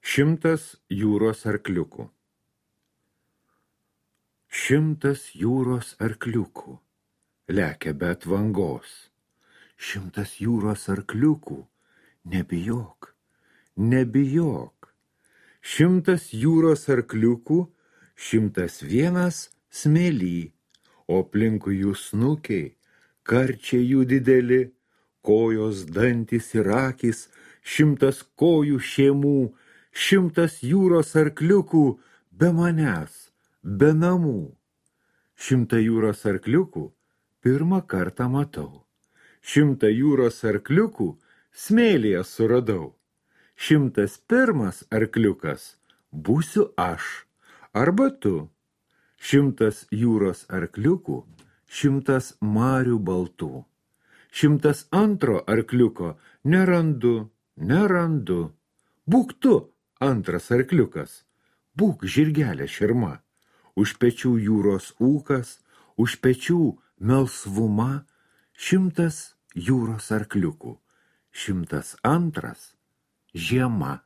100 jūros arkliukų. 100 jūros arkliukų lekia be atvangos. 100 jūros arkliukų, nebijok, nebijok. 100 jūros arkliukų, 101 smėly, o aplinkui jų snukiai, karčiai jų dideli, kojos, dantys ir akys, 100 kojų šėmų, 100 jūros arkliukų be manęs, be namų. 100 jūros arkliukų pirmą kartą matau. 100 jūros arkliukų smėlyje suradau. 101 arkliukas būsiu aš arba tu. 100 jūros arkliukų, 100 marių baltų. 102 arkliuko nerandu. Būk tu antras arkliukas, būk žirgelė širma. Už pečių jūros ūkas, už pečių melsvuma, 100 jūros arkliukų, 102 žiema.